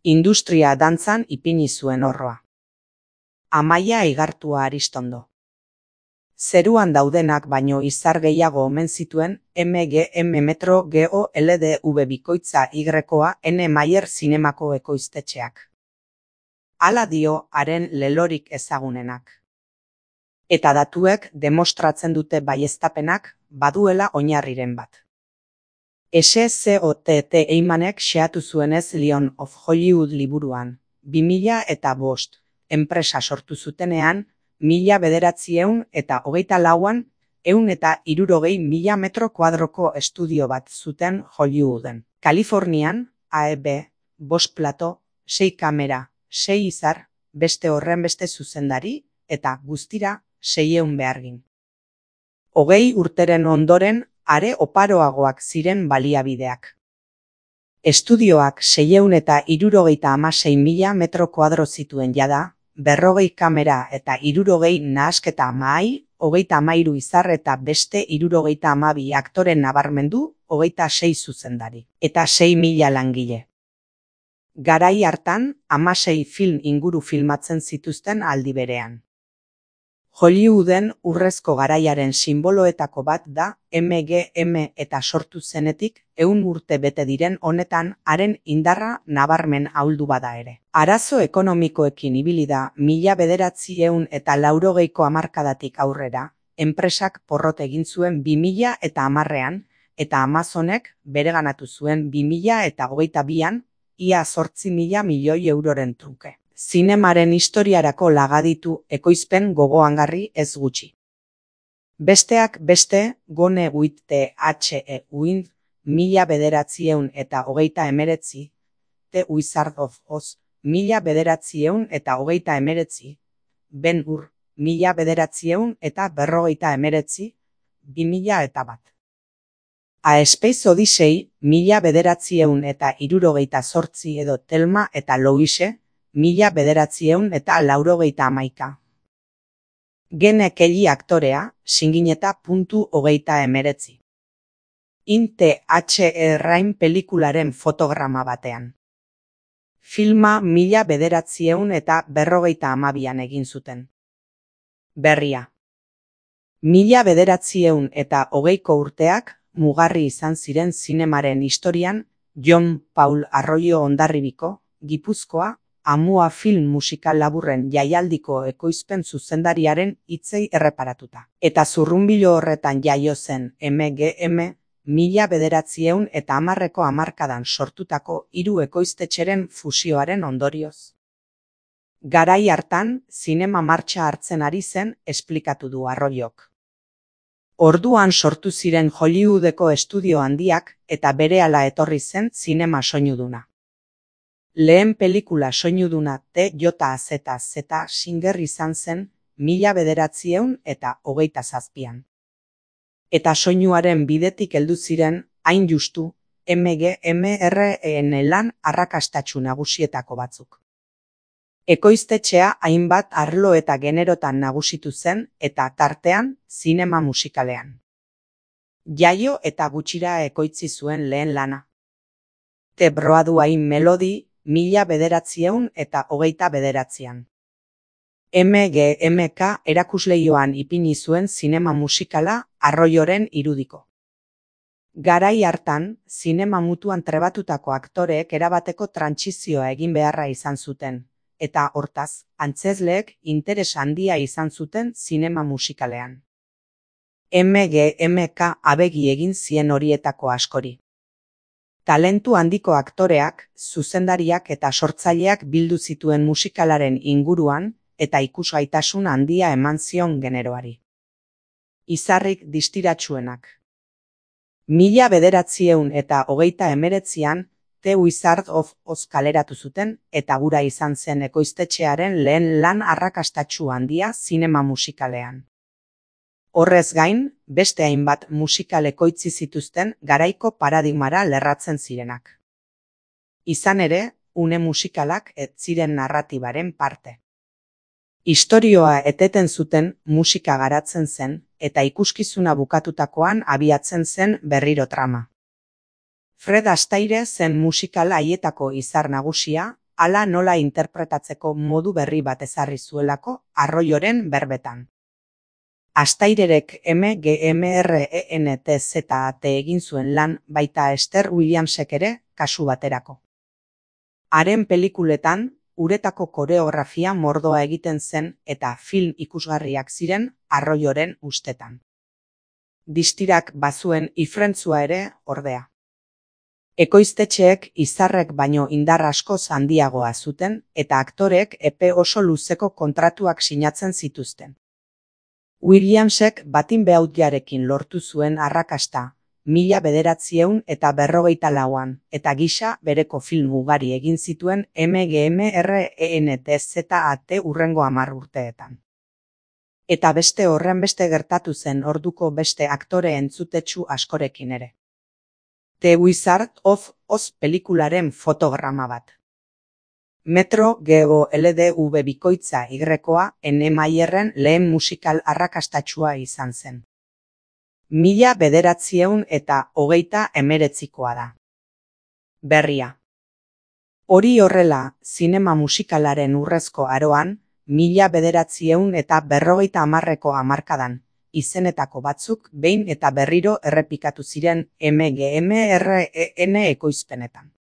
Industria dantzan ipini zuen orroa. Amaia Igartua Aristondo. Zeruan daudenak baino izar gehiago omen zituen MGM Metro GO LDV bikoitza Y-koa N. Mayer zinemako ekoiztetxeak. Hala dio haren lelorik ezagunenak. Eta datuek demostratzen dute baieztapenak baduela oinarriren bat. SCOTT Eimanek xeatu zuenez Lion of Hollywood liburuan, 2005, enpresa sortu zutenean, 1924an, 160.000 metro kuadroko estudio bat zuten Hollywooden. Kalifornian, AEB, 5 plato, 6 kamera, 6 izar, beste horrenbeste zuzendari, eta guztira 600 behargin. 20 urteren ondoren, are oparoagoak ziren baliabideak. Estudioak 676.000 metro kuadro zituen jada, 40 kamera eta 60 nahasketa mahai, 33 izar eta beste 72 aktore nabarmendu, 26 zuzendari, eta 6.000 langile. Garai hartan, 16 film inguru filmatzen zituzten aldi berean. Hollywooden urrezko garaiaren sinboloetako bat da MGM eta sortu zenetik 100 urte bete diren honetan haren indarra nabarmen ahuldu bada ere. Arazo ekonomikoekin ibili da 1980ko hamarkadatik aurrera, enpresak porrot egin zuen 2010an eta Amazonek bereganatu zuen 2022an ia 8.000 milioi euroren truke. Zinemaren historiarako lagaditu ekoizpen gogoangarri ez gutxi. Besteak beste, Gone with the Wind, 1939, The Wizard of Oz, 1939, Ben-Hur, 1949, 2001. A Space Odyssey, 1978 edo Thelma eta Louise, 1991. Gene Kelly aktorea, Singineta.19. Inte H.E. Rain pelikularen fotograma batean. Filma 1952an egin zuten. Berria. 1920ko urteak mugarri izan ziren zinemaren historian John Paul Arroyo Hondarribiko, Gipuzkoa, Amua film musikal laburren jaialdiko ekoizpen zuzendariaren hitzei erreparatuta. Eta zurrunbilo horretan jaio zen MGM 1910ko hamarkadan sortutako 3 ekoiztetxeren fusioaren ondorioz. Garai hartan, zinema martxa hartzen ari zen esplikatu du Arroyok. Orduan sortu ziren Hollywoodeko estudio handiak eta berehala etorri zen zinema soinuduna. Lehen pelikula soinuduna TJZZ Singer izan zen 1927an. Eta soinuaren bidetik heldu ziren, hain justu, MGMRN lan arrakastatsu nagusietako batzuk. Ekoiztetxea hainbat arlo eta generotan nagusitu zen eta tartean zinema musikalean. Jaio eta gutxira ekoitzi zuen lehen lana. The Broadway Melody 1929an. MGMK erakusleioan ipini zuen zinema musikala Arroyoren irudiko. Garai hartan, zinema mutuan trebatutako aktoreek erabateko trantsizioa egin beharra izan zuten, eta hortaz, antzezleek interes handia izan zuten zinema musikalean. MGMK abegi egin zien horietako askori. Talentu handiko aktoreak, zuzendariak eta sortzaileak bildu zituen musikalaren inguruan eta ikusgaitasun handia eman zion generoari. Izarrik distiratsuenak. 1929an The Wizard of Oz kaleratu zuten eta gura izan zen ekoiztetxearen lehen lan arrakastatsu handia zinema musikalean. Horrez gain, beste hainbat musikal ekoitzi zituzten garaiko paradigmara lerratzen zirenak. Izan ere, une musikalak ez ziren narratibaren parte. Istorioa eteten zuten musika garatzen zen eta ikuskizuna bukatutakoan abiatzen zen berriro trama. Fred Astaire zen musikal haietako izar nagusia, hala nola interpretatzeko modu berri bat ezarri zuelako Arroyoren berbetan. Astairerek MGMRENTZAT egin zuen lan baita Esther Williamsek ere kasu baterako. Haren pelikuletan, uretako koreografia mordoa egiten zen eta film ikusgarriak ziren Arroyoren ustetan. Distirak bazuen ifrentzua ere, ordea. Ekoiztetxeek izarrek baino indar askoz handiagoa zuten eta aktoreek epe oso luzeko kontratuak sinatzen zituzten. Williamsek batin behautjarekin lortu zuen arrakasta, 1954an, eta gisa bereko film ugari egin zituen MGMRENTZAT hurrengo 10 urteetan. Eta beste horrenbeste gertatu zen orduko beste aktore entzutetsu askorekin ere. The Wizard of Oz pelikularen fotograma bat. Metro GOLDV bikoitza Y-koa N. Mayerren lehen musikal arrakastatsua izan zen. 1929koa da. Berria. Hori horrela, zinema musikalaren urrezko aroan, 1950ko hamarkadan, izenetako batzuk behin eta berriro errepikatu ziren MGMREN ekoizpenetan.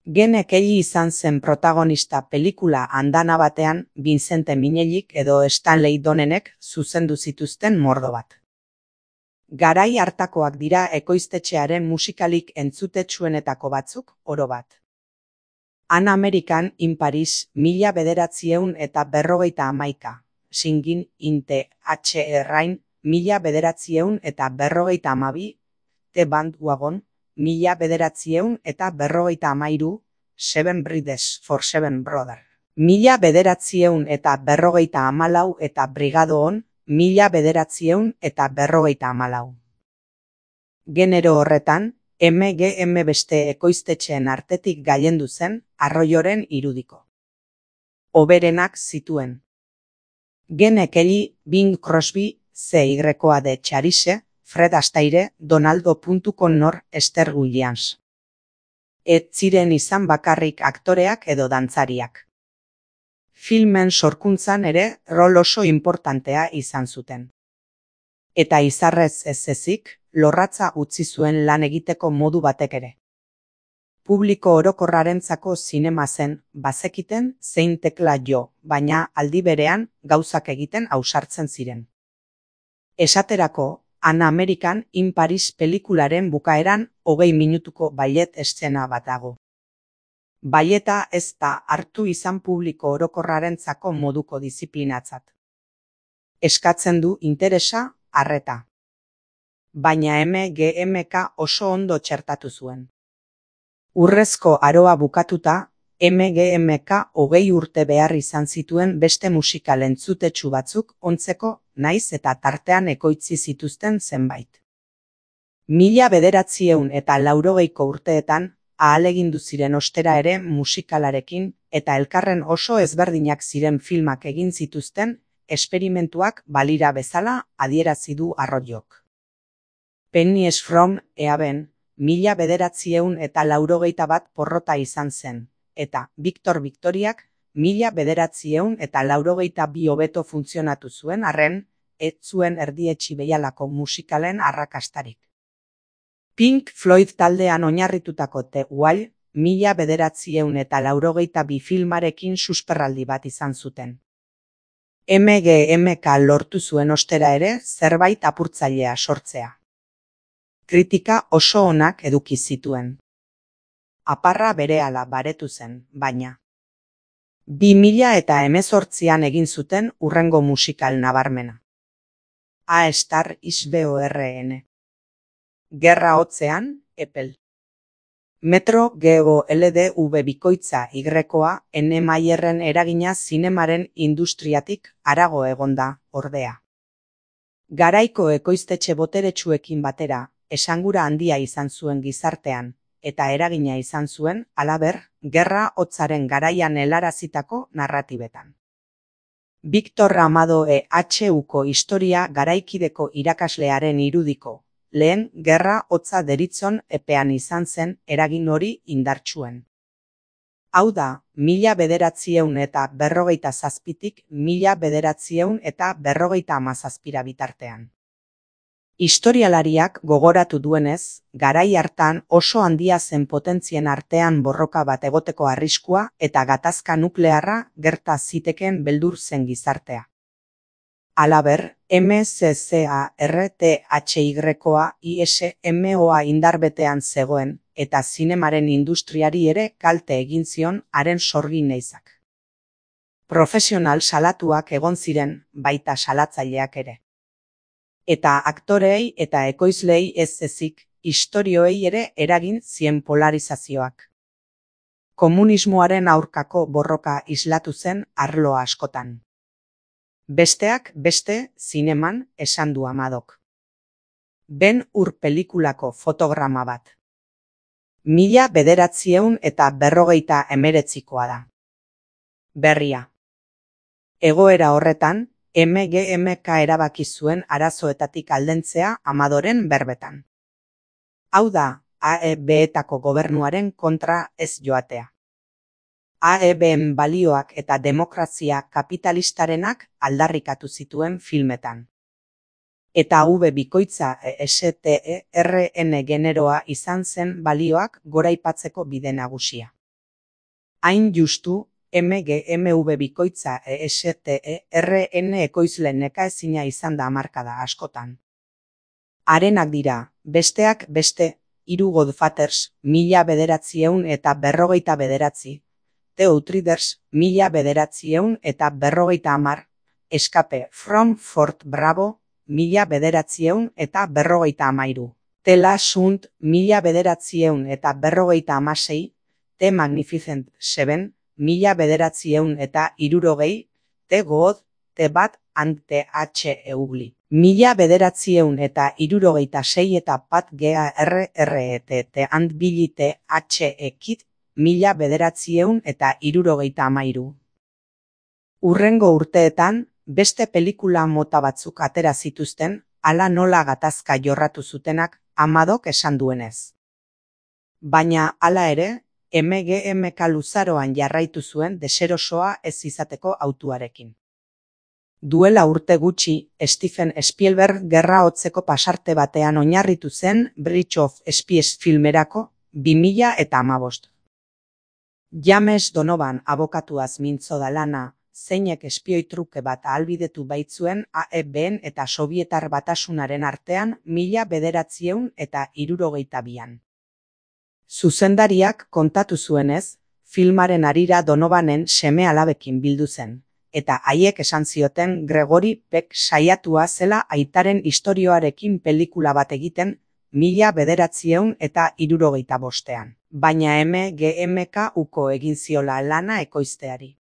Gene Kelly izan zen protagonista pelikula andana batean Vincente Minnellik edo Stanley Donenek zuzendu zituzten mordo bat. Garai hartakoak dira ekoiztetxearen musikalik entzutetsuenetako batzuk, oro bat. An American in Paris 1951, Singin' in the H.R.Rain 1952, The Bandwagon 1953, Seven Brides for Seven Brothers 1954 eta Brigado On 1954. Genero horretan, MGM beste ekoiztetxeen artetik gailendu zen Arroyoren irudiko. Hoberenak zituen. Gene Kelly, Bing Crosby, CY-koa de Charise, Fred Astaire, Donaldo Connor, Esther Williams. Ez ziren izan bakarrik aktoreak edo dantzariak. Filmen sorkuntzan ere rol oso importantea izan zuten. Eta izarrez ez ezik, lorratza utzi zuen lan egiteko modu batek ere. Publiko orokorrarentzako zinema zen, bazekiten zein tekla jo, baina aldi berean gauzak egiten ausartzen ziren. Esaterako, An American in Paris pelikularen bukaeran 20 minutuko ballet eszena bat dago. Balleta ez da hartu izan publiko orokorrarentzako moduko diziplinatzat. Eskatzen du interesa, arreta. Baina MGMK oso ondo txertatu zuen. Urrezko aroa bukatuta, MGMK 20 urte behar izan zituen beste musikal entzutetsu batzuk ontzeko, naiz eta tartean ekoitzi zituzten zenbait. 1980ko urteetan, ahalegindu ziren ostera ere musikalarekin eta elkarren oso ezberdinak ziren filmak egin zituzten, esperimentuak balira bezala adierazi du Arroyok. Pennies from Heaven 1981 porrota izan zen, eta Victor Victoriak 1982 hobeto funtzionatu zuen arren, ez zuen erdietsi behialako musikalen arrakastarik. Pink Floyd taldean oinarritutako The Wall 1982 filmarekin susperraldi bat izan zuten. MGMK lortu zuen ostera ere zerbait apurtzailea sortzea. Kritika oso onak eduki zituen. Aparra berehala baretu zen, baina 2018an egin zuten hurrengo musikal nabarmena. A Star is Born. Gerra hotzean, Epel. Metro GOLDV bikoitza Y-koa N. Mayerren eragina zinemaren industriatik harago egonda, ordea. Garaiko ekoiztetxe boteretsuekin batera, esangura handia izan zuen gizartean, eta eragina izan zuen, halaber, gerra hotzaren garaian helarazitako narratibetan. Victor Amado EHUko historia garaikideko irakaslearen irudiko, lehen gerra hotza deritzon epean izan zen eragin hori indartsuen. Hau da, 1957tik 1957 bitartean. Historialariak gogoratu duenez, garai hartan oso handia zen potentzien artean borroka bat egoteko arriskua eta gatazka nuklearra gerta zitekeen beldur zen gizartea. Halaber, MSCARTHYA ISMOA indarbetean zegoen eta zinemaren industriari ere kalte egin zion haren sorgi neizak. Profesional salatuak egon ziren, baita salatzaileak ere. Eta aktoreei eta ekoizleei ez ezik, istorioei ere eragin zien polarizazioak. Komunismoaren aurkako borroka islatu zen arlo askotan. Besteak beste zineman esan du Amadok. Ben Hur pelikulako fotograma bat. 1959koa da. Berria. Egoera horretan, MGMK erabaki zuen arazoetatik aldentzea Amadoren berbetan. Hau da, AEB-etako gobernuaren kontra ez joatea. AEB-en balioak eta demokrazia kapitalistarenak aldarrikatu zituen filmetan. Eta V bikoitza STERN generoa izan zen balioak goraipatzeko bide nagusia. Hain justu, MGMV bikoitza STERN ekoizle nekaezina izan da hamarkada askotan. Harenak dira, besteak beste, 3 Godfathers, 1959, The Outriders, 1950, Escape from Fort Bravo, 1953, The Last Hunt, 1956, The Magnificent Seven, 1960, The Good, The Bad and the Ugly. 1966 eta Pat Garrett and Billy the Kid, 1973. Hurrengo urteetan, beste pelikula mota batzuk atera zituzten, hala nola gatazka jorratu zutenak Amadok esan duenez. Baina hala ere, MGMK luzaroan jarraitu zuen deserosoa ez izateko hautuarekin. Duela urte gutxi, Steven Spielberg gerra hotzeko pasarte batean oinarritu zen Bridge of Spies filmerako 2015. James Donovan abokatuaz mintzo da lana, zeinek espioi truke bat ahalbidetu baitzuen AEB-en eta Sobietar Batasunaren artean 1962an. Zuzendariak kontatu zuenez, filmaren harira Donovanen seme-alabekin bildu zen, eta haiek esan zioten Gregory Peck saiatua zela aitaren istorioarekin pelikula bat egiten 1965an, baina MGMK uko egin ziola lana ekoizteari.